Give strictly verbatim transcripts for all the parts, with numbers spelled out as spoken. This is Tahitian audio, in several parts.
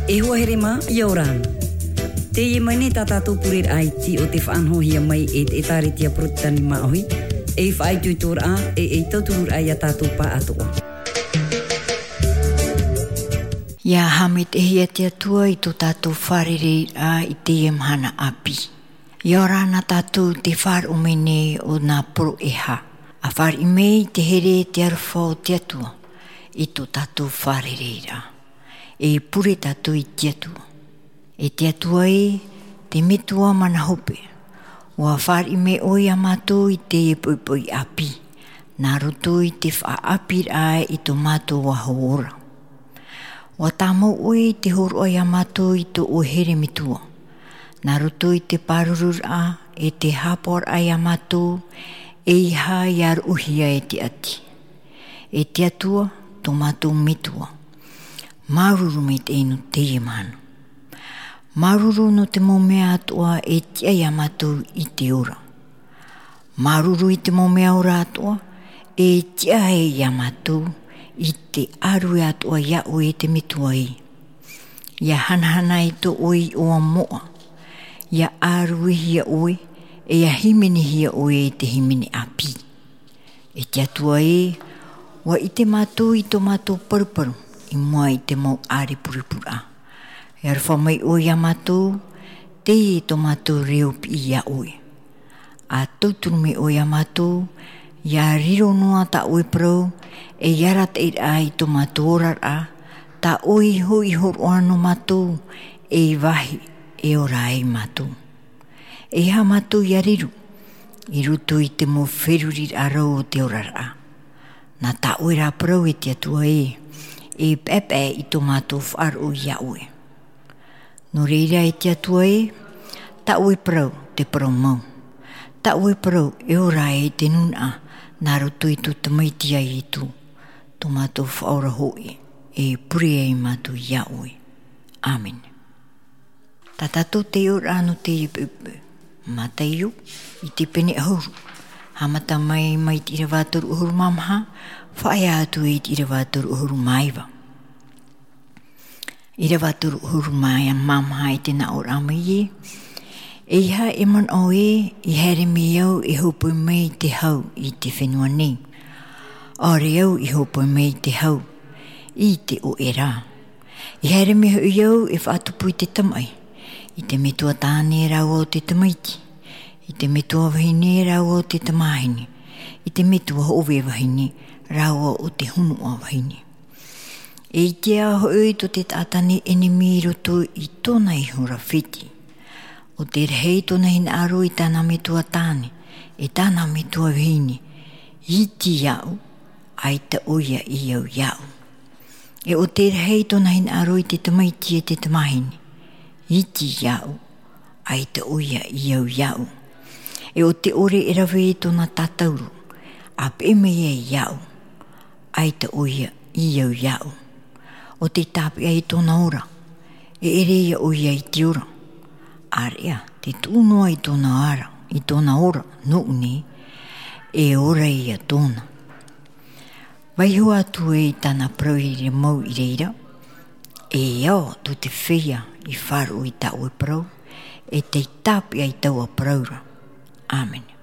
E hoa here mā, ʻia ora na. Teie mai nei tā tātou pureraʻa iti o te faʻanahohia mai e te ʻĒtārētia Porotetani Māʻohi, ei faʻaitoitoraʻa, e, ei tautururaʻa ia tātou pāʻatoʻa. ʻIa haʻamaitaʻihia te Atua i tō tātou fārereiraʻa i teie mahana ʻāpī. ʻIa ora na tātou i te faʻaroʻo mai nei o nā poroʻi e hā. ʻA fāriʻi mai i te here e te aroha o te Atua i tō tātou fārereiraʻa. E pure tātou i te Atua. E te Atua ē, te Metua mana hope, ʻua fāriʻi mai ʻoe ia mātou i teie poʻipoʻi ʻāpī, nā roto i te faʻaʻāpīraʻa i tō mātou Aho ora. ʻUa tāmau ʻoe i te hōroʻa ia mātou i tō ʻoe here metua, nā roto i te pāruruaraʻa e te haʻapaʻoraʻa ia mātou, ʻeiaha ʻia roʻohia e te ʻati. E te Atua, tō mātou Metua, māuruuru maitaʻi nō teie mahana. Māuruuru nō te mau mea atoʻa e tiʻa ia mātou i te ora. Māuruuru i te mau mea ora atoʻa, e tiʻa ai ia mātou i te ʻārue atoʻa ia ʻoe e te Metua ē. ʻIa hanahana i tō ʻoe iʻoa moʻa, ʻia ʻāruihia ʻoe, e ʻia hīmenihia ʻoe e te hīmene ʻāpī. E te Atua ē, ʻua ʻite mātou i tō mātou paruparu i mua i te mau ʻārepurepuraʻa. E aroha mai ʻoe ia mātou, teie tō mātou reo piʻi ia ʻoe. ʻA tauturu mai ʻoe ia mātou, ʻia riro noa tā ʻoe parau, e ʻia arataʻiraʻa i tō mātou oraraʻa, tā ʻoe iho i hōroʻa nō mātou, ei vāhi e ora ai mātou. ʻEiaha mātou ʻia riro i roto i te mau feruriraʻa rau o te oraraʻa. Nā tā ʻoe rā parau e te Atua ē, e paʻepaʻe i tō mātou faʻaroʻo ia ʻoe. Nō reira e te Atua ē, tā ʻoe parau te parau mau. Tā ʻoe parau e ora ai te nūnaʻa, nā roto i tō Tamaiti a Ietu, tō mātou Faʻaora hoʻi, e pure ai mātou ia ʻoe. ʻĀmene. Tā tātou taiʻoraʻa nō teie poʻipoʻi. Mātaio, i te pene ʻahuru. Haʻamata mai, mai te ʻīrava toru ʻahuru mā maha, faʻaea atu i te ʻīrava toru ʻahuru mā iva. ʻĪrava toru ʻahuru mā maha i te nā ʻōraʻa mai ē. ʻEiaha e manaʻo ē, i haere mai au e hōpoi mai i te hau i te fenua nei. ʻAore au i hōpoi mai i te hau, i te ʻoʻe rā. I haere mai hoʻi au e faʻatupu i te tamaʻi, i te metua tāne rāua ʻo te tamaiti, i te metua vahine rāua ʻo te tamāhine, i te metua hōʻē vahine rāua ʻo te hunuʻa vahine. E ʻite hoʻi tō te taʻata nei ʻenemi i roto i tōna iho ra fiti. ʻO tē rahi tōna hinaʻaro i tāna metua tāne, e tāna metua vahine, iti iāʻu, ʻaita ʻoia i au iāʻu. E ʻo tē rahi tōna hinaʻaro i te tamaiti e te tamāhine, iti iāʻu, ʻaita ʻoia i au iāʻu. E ʻo te ʻore e rave i tōna tātauro, ʻa peʻe mai ai iāʻu, ʻaita ʻoia i au iāʻu. ʻO tē tāpeʻa i tōna ora, e ʻere ia ʻoia i te ora. ʻĀreʻa, tē tuʻu noa i tōna ara, i tōna ora, nōʻu nei, e ora ia tōna. Vaiho atu ē i tāna parau i reira mau i reira, e ao tō te feiā i faʻaroʻo i tā ʻoe parau, e tē tāpeʻa i taua parau ra. ʻĀmene.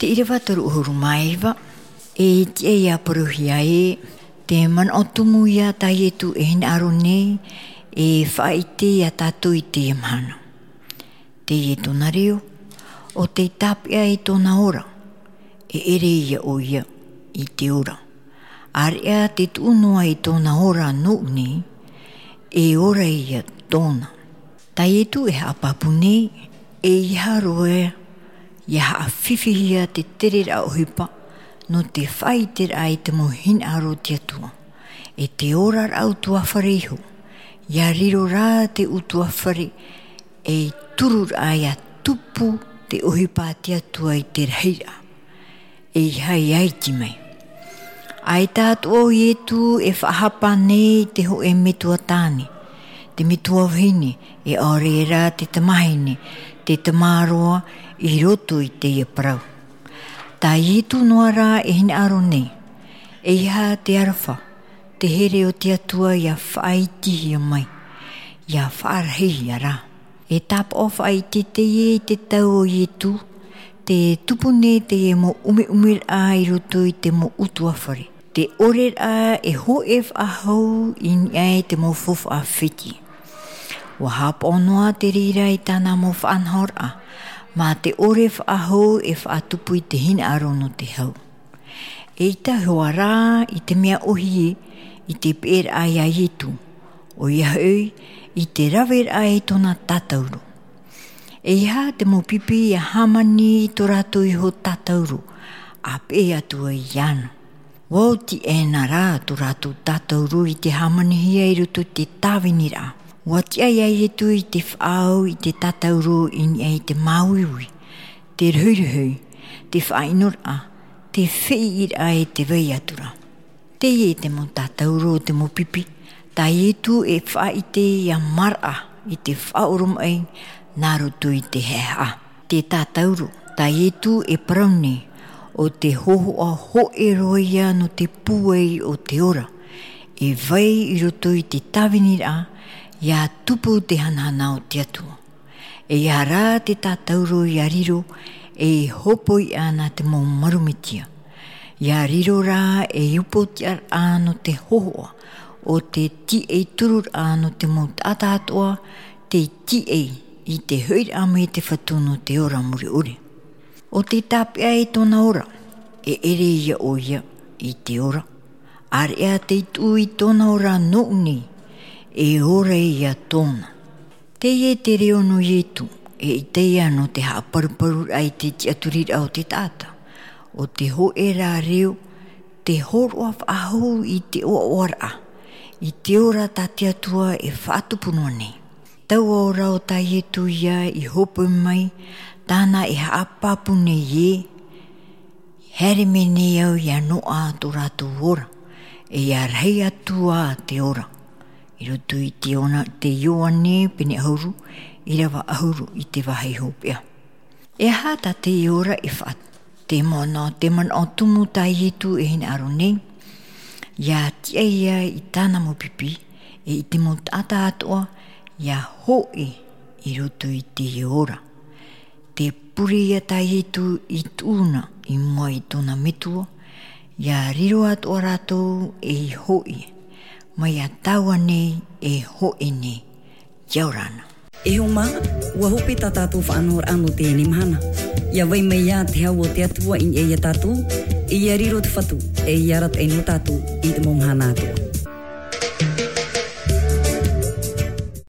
Te ʻīrava toru ʻahuru mā iva. E tiʻa ia parauhia ē, te manaʻo tumu ia tā Ietu e hinaʻaro nei, e faʻaʻite ia tātou i teie mahana. Teie tōna reo, ʻo tei tāpeʻa i tōna ora, e ʻere ia ʻoia i te ora. ʻĀreʻa te tuʻu noa i tōna ora nōʻu nei, e ora ia tōna. Tā Ietu e haʻapāpū nei, ʻeiaha roa ia haʻafifihi ia te tereraʻa ʻohipa, nō te faʻaʻiteraʻa i te mau hinaʻaro o te Atua. E te oraraʻa ʻutuāfare iho, ia riro rā te ʻutuāfare, ei tururaʻa ia tupu te ʻohipa a te Atua i te rahiraʻa. ʻEiaha ia iti mai. ʻAita atoʻa ʻo Ietu e faʻahapa nei i te hōʻē metua tāne, te metua vahine, e ʻaore rā te tamahine, te tamāroa i roto i teie parau. Tā Ietu noa rā e hinaʻaro nei, ʻeiaha te aroha, te here o te Atua ia faʻaitihia mai, ia faʻarahihia rā. E tāpaʻo faʻaʻite teie i te tau o Ietu, te tupu nei teie mau ʻumeʻumeraʻa i roto i te mau ʻutuāfare. Te ʻoreraʻa e hōʻē faʻahou i niʻa i te mau faufaʻa fētiʻi. ʻUa haʻapaʻo noa te reira i tāna mau faʻanahoraʻa, mā te ʻore faʻahou e faʻatupu i te hinaʻaro nō te hau. ʻEita hoʻi rā i te mea ʻōhie i te peʻeraʻa ia Ietu, ʻoia hoʻi i te raveraʻa i tōna tātauro. ʻEiaha te mau pipi ia hāmani i tō rātou iho tātauro, ʻa peʻe atu ai iāna. ʻUa oti ʻē na rā tō rātou tātauro i te hāmanihia i roto i te tāviniraʻa. ʻUa tiʻa ia Ietu i te faʻaau i te tātauro i niʻa i te māuiui, te rohirohi, te faʻaʻinoraʻa, te feʻiraʻa e te vai atu ra. Teie te mau tātauro o te mau pipi, tā Ietu e faʻaʻite ia maraʻa i te faʻaoromaʻi nā roto i te haʻehaʻa. Te tātauro, tā Ietu e parau nei, ʻo te hōhoʻa hōʻē roa ia nō te pūai o te ora. E vai i roto i te tāviniraʻa, ia tupu te hanahana o te Atua. ʻEiaha rā te tātauro ia riro, ei hōpoiʻa nā te mau marumetia. Ia riro rā ei upoʻotiʻaraʻa nō te hōhoʻa, ʻo te tiʻai tururaʻa nō te mau taʻata atoʻa, tei tiʻai i te hoʻiraʻa mai te Fatu nō te ora mure ʻore. ʻO tei tāpeʻa i tōna ora, e ʻere ia ʻoia i te ora. ʻĀreʻa tei tuʻu i tōna ora nōʻu nei, e ora ia tōna. Teie te reo nō Ietu, e ʻaita ia nō te haʻaparuparuraʻa i te tiʻaturiraʻa o te taʻata. ʻO te hōʻē rā reo, te hōroʻa faʻahou i te ʻoaʻoaraʻa, i te ora tā te Atua e faʻatupu noa nei. Taua ora o tā Ietu ia i hōpoi mai, tāna e haʻapāpū nei ē, haere mai nei au ia noaʻa tō rātou ora, e ia rahi atu ā te ora. I roto i te Iona-, te Ioane pene ʻahuru, ʻīrava ʻahuru i te vāhi hopeʻa. E aha tā teie ora e faʻa-, te manaʻo, te manaʻo tumu tā Ietu e hinaʻaro nei, ia tiʻa ia i tāna mau pipi, e i te mau taʻata atoʻa, ia hōʻē i roto i teie ora. Te pure ia tā Ietu i tuʻu na i mua i tōna metua, ia riro atoʻa rātou ei hōʻē, mai ia tāua nei e hōʻē nei, ʻia ora na. E hoa mā, ʻua hope tā tātou faʻanahoraʻa nō teie mahana. ʻIa vai mai ā te hau o te Atua i niʻa ia tātou, e ʻia riro te Fatu, e ʻia arataʻi nō tātou i te mau mahana atoʻa.